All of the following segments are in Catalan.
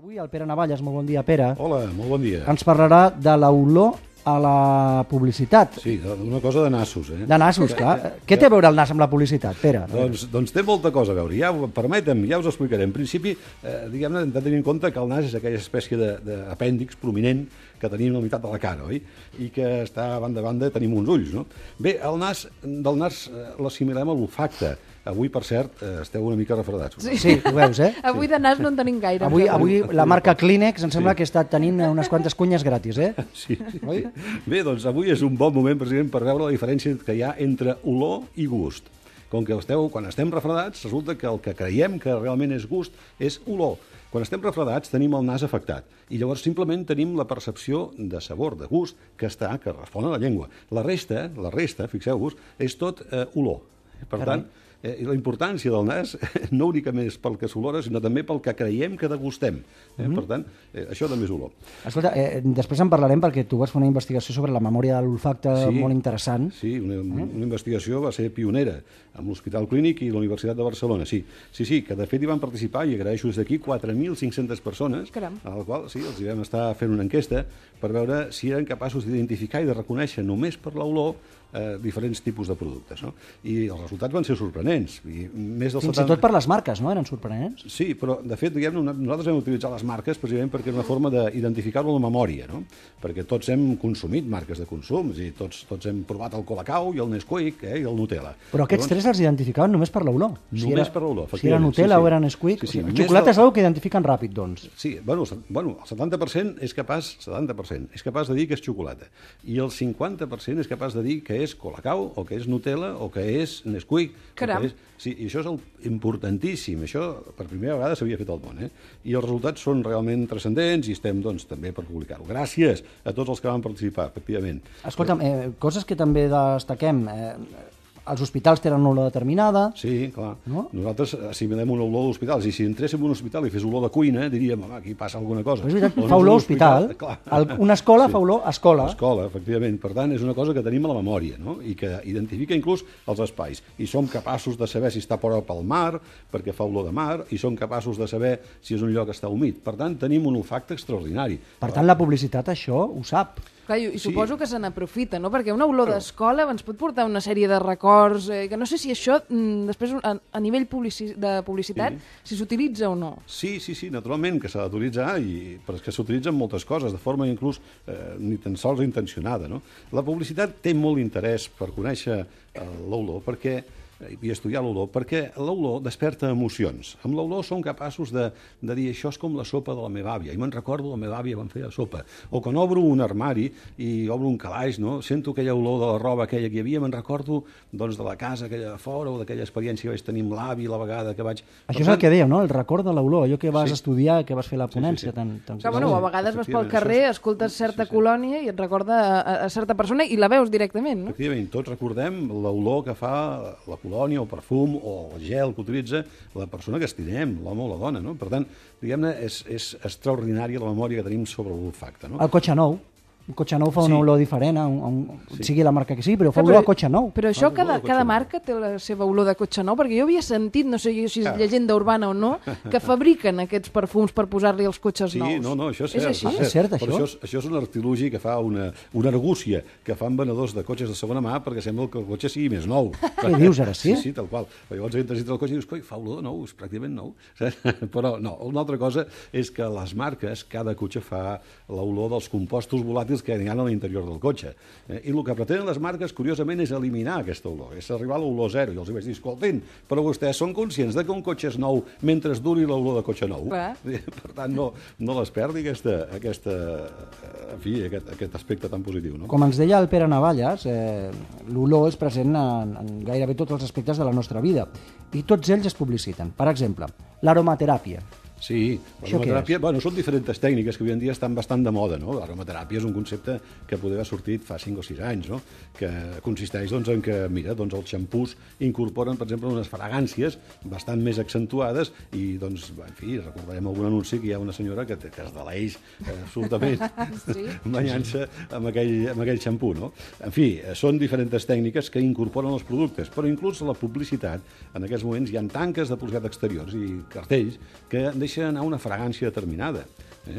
Avui el Pere Navalles, molt bon dia, Pere. Hola, molt bon dia. Ens parlarà de l'olor a la publicitat. Sí, una cosa de nassos, eh? De nassos, clar. Què té a veure el nas amb la publicitat, Pere? Doncs té molta cosa a veure. Permetem, ja us explicaré. En principi, diguem-ne, hem de tenir en compte que el nas és aquella espècie d'apèndix prominent que tenim a la meitat de la cara, oi? I que està a banda tenim uns ulls, no? Bé, del nas l'assimilem a l'olfacte. Avui, per cert, esteu una mica refredats. Sí, ho veus, eh? Avui de nas no en tenim gaire. Avui la marca Kleenex em sembla que està tenint unes quantes cunyes gratis, eh? Sí. Bé, doncs avui és un bon moment, president, per veure la diferència que hi ha entre olor i gust. Com que quan estem refredats, resulta que el que creiem que realment és gust és olor. Quan estem refredats tenim el nas afectat i llavors simplement tenim la percepció de sabor, de gust, que respon a la llengua. La resta, fixeu-vos, és tot olor. Per tant, la importància del nas no únicament és pel que s'olora, sinó també pel que creiem que degustem. Per tant, això també és olor. Escolta, després en parlarem perquè tu vas fer una investigació sobre la memòria de l'olfacte molt interessant. Sí, una investigació va ser pionera amb l'Hospital Clínic i la Universitat de Barcelona. Sí, que de fet hi van participar, i agraeixo des d'aquí, 4.500 persones, a la qual els hi vam estar fent una enquesta per veure si eren capaços d'identificar i de reconèixer només per l'olor diferents tipus de productes, no? I els resultats van ser sorprenents. Fins i tot per les marques, no? Eren sorprenents? Sí, però de fet, nosaltres hem utilitzat les marques precisament perquè és una forma d'identificar-ho a la memòria, no? Perquè tots hem consumit marques de consum, i tots hem provat el Colacao i el Nesquik i el Nutella. Però aquests tres els identificaven només per l'olor. Només per l'olor, efectivament. Si era Nutella o era Nesquik. El xocolata és una que identifiquen ràpid, doncs. Sí, bueno, el 70% és capaç de dir que és xocolata. I el 50% és capaç de dir que és Colacao, o que és Nutella, o que és Nesquik. Caram! Sí, i això és importantíssim. Això per primera vegada s'havia fet al món, eh? I els resultats són realment transcendents i estem, doncs, també per publicar-ho. Gràcies a tots els que van participar, efectivament. Escolta'm, coses que també destaquem. Els hospitals tenen una olor determinada. Sí, clar. No? Nosaltres assimilem una olor d'hospitals, i si entréssim en un hospital i fes olor de cuina, diríem, home, aquí passa alguna cosa. Però és veritat, fa olor hospital. Una escola fa olor escola. Escola, efectivament. Per tant, és una cosa que tenim a la memòria, no? I que identifica inclús els espais. I som capaços de saber si està prop al mar, perquè fa olor de mar, i som capaços de saber si és un lloc que està humit. Per tant, tenim un olfacte extraordinari. Per tant, la publicitat això ho sap. Clar, i suposo que se n'aprofita, no? Perquè una olor d'escola ens pot portar una sèrie de records, que no sé si això, després, a nivell de publicitat, si s'utilitza o no. Sí, naturalment que s'ha d'utilitzar, però és que s'utilitzen moltes coses, de forma inclús ni tan sols intencionada, no? La publicitat té molt interès per conèixer l'olor, i estudiar l'olor, perquè l'olor desperta emocions. Amb l'olor som capaços de dir això és com la sopa de la meva àvia, i me'n recordo la meva àvia quan feia sopa. O quan obro un armari i obro un calaix, no? Sento aquella olor de la roba aquella que hi havia, me'n recordo doncs, de la casa aquella de fora o d'aquella experiència que vaig tenir amb l'avi la vegada que vaig... Això és el que dèiem, no? El record de l'olor, allò que vas estudiar, que vas fer la ponència. A vegades vas pel carrer, escoltes certa colònia i et recorda a certa persona i la veus directament, no? Efectivament, tots recordem l'olor que fa la colònia, o perfum, o el gel que utilitza la persona que estimem, l'home o la dona, no? Per tant, diguem-ne, és extraordinària la memòria que tenim sobre l'olfacte, no? El cotxe nou. Un cotxe nou fa una olor diferent, sigui la marca que sigui, però fa olor a cotxe nou. Però això, cada marca té la seva olor de cotxe nou, perquè jo havia sentit, no sé si és llegenda urbana o no, que fabriquen aquests perfums per posar-li als cotxes nous. Sí, no, això és cert. És així? És cert, això? Però això és un artilugi que fa una argúcia que fan venedors de cotxes de segona mà perquè sembla que el cotxe sigui més nou. Què dius ara, sí? Sí, tal qual. Llavors entres dintre del cotxe i dius, coi, fa olor de nou, és pràcticament nou. Però no, una altra cosa és que les marques, cada cotxe fa l'olor dels compostos volàtils que hi ha a l'interior del cotxe. I el que pretenen les marques, curiosament, és eliminar aquesta olor, és arribar a l'olor zero. I els vaig dir, escoltin, però vostès són conscients de que un cotxe és nou mentre duri l'olor de cotxe nou? Per tant, no les perdi aquest aspecte tan positiu, no? Com ens deia el Pere Navalles, l'olor és present en gairebé tots els aspectes de la nostra vida i tots ells es publiciten. Per exemple, l'aromateràpia. Sí, l'aromateràpia, bueno, són diferents tècniques que avui en dia estan bastant de moda, no? L'aromateràpia és un concepte que poder haver sortit fa 5 o 6 anys, no? Que consisteix en que, mira, els xampús incorporen, per exemple, unes fragàncies bastant més accentuades i, doncs, en fi, recordarem algun anunci que hi ha una senyora que es deleix absolutament banyant-se amb aquell xampú, no? En fi, són diferents tècniques que incorporen els productes, però inclús la publicitat, en aquests moments hi ha tanques de publicitat exteriors i cartells que deixen deixa anar una fragància determinada.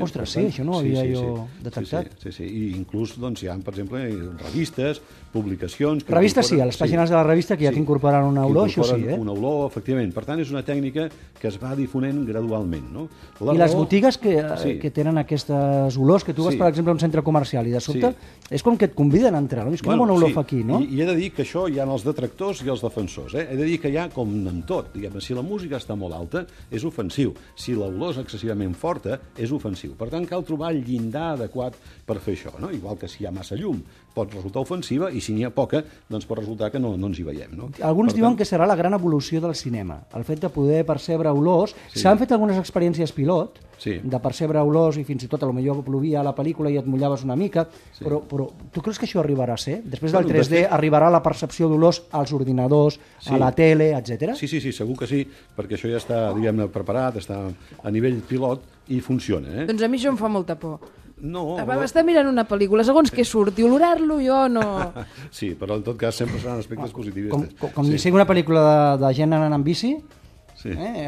Ostres, sí, això no ho havia jo detectat. Sí. I inclús doncs, hi ha, per exemple, revistes, publicacions... Revistes sí, a les pàgines de la revista que ja t'incorporaran una olor, això sí, una olor, efectivament. Per tant, és una tècnica que es va difonent gradualment, no? I les botigues que tenen aquestes olors, que tu vas, per exemple, a un centre comercial i de sobte és com que et conviden a entrar, no? És quina bona olor fa aquí, no? I he de dir que això hi ha els detractors i els defensors. He de dir que hi ha, com en tot, diguem, si la música està molt alta, és ofensiu. Si l'olor és excessivament forta, és ofensiu. Per tant, cal trobar el llindar adequat per fer això, no? Igual que si hi ha massa llum pot resultar ofensiva i si n'hi ha poca, doncs pot resultar que no ens hi veiem, no? Alguns diuen que serà la gran evolució del cinema, el fet de poder percebre olors. S'han fet algunes experiències pilot de percebre olors i fins i tot potser plovia a la pel·lícula i et mullaves una mica, però tu creus que això arribarà a ser? Després del 3D arribarà la percepció d'olors als ordinadors, a la tele, etc. Sí, segur que sí, perquè això ja està, diguem-ne, preparat, està a nivell pilot i funciona. Doncs a mi això em fa molta por. No. Estar mirant una pel·lícula, segons què surt, i olorar-lo jo no... Sí, però en tot cas sempre seran aspectes positivistes. Com si sigui una pel·lícula de gent anant amb bici,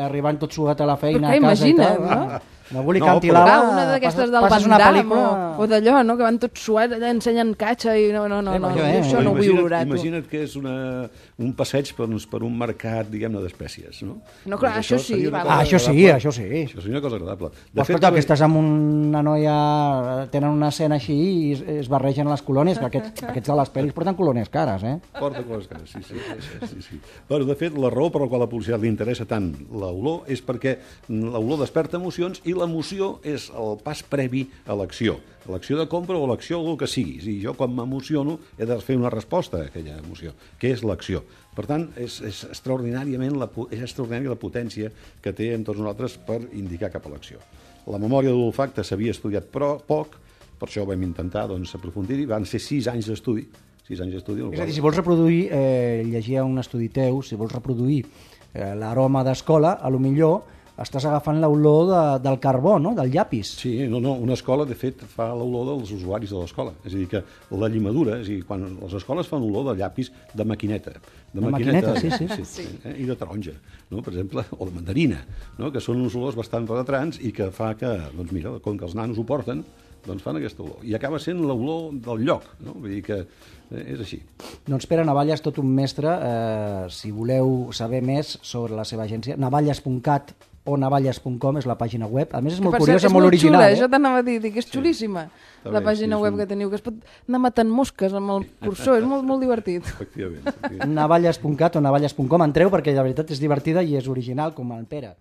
arribant tot suat a la feina, a casa i tal. No? Algú li canti l'ala, una d'aquestes del Van Damme o d'allò, no? Que van tots suats, allà ensenyen catxa i no, això no ho vull olorar. Imagina't que és un passeig per un mercat, diguem-ne, d'espècies, no? No, clar, això sí. Això sí. Això seria una cosa agradable. Escolta, que estàs amb una noia, tenen una escena així i es barregen les colònies, que aquests de les pel·lis porten colònies cares, Porten colònies cares, sí. Però, de fet, la raó per la qual a la publicitat li interessa tant l'olor és perquè l'olor desperta emocions i l'emoció és el pas previ a l'acció de compra o l'acció o el que siguis. I jo, quan m'emociono, he de fer una resposta a aquella emoció, que és l'acció. Per tant, és extraordinària la potència que té en tots nosaltres per indicar cap a l'acció. La memòria de l'olfacte s'havia estudiat però poc, per això vam intentar aprofundir-hi, van ser 6 anys d'estudi. 6 anys d'estudi. És a dir, si vols reproduir, llegia un estudi teu, si vols reproduir l'aroma d'escola, a lo millor estàs agafant l'olor del carbó, no? Del llapis. Sí, una escola, de fet, fa l'olor dels usuaris de l'escola. És a dir, que la llimadura, és a dir, quan les escoles fan olor de llapis de maquineta. De maquineta, sí. I de taronja, no? Per exemple, o de mandarina, no? Que són uns olors bastant penetrants i que fa que, doncs mira, com que els nanos ho porten, doncs fan aquesta olor. I acaba sent l'olor del lloc, no? Vull dir que és així. Doncs Pere Navalles, tot un mestre. Si voleu saber més sobre la seva agència, navalles.cat o navalles.com és la pàgina web. A més, és molt curiosa, molt original. Xula, això t'anava a dir, que és xulíssima, la pàgina web que teniu, que es pot anar matant mosques amb el cursor, és molt divertit. Efectivament. Navalles.cat o navalles.com, entreu perquè la veritat és divertida i és original, com el Pere.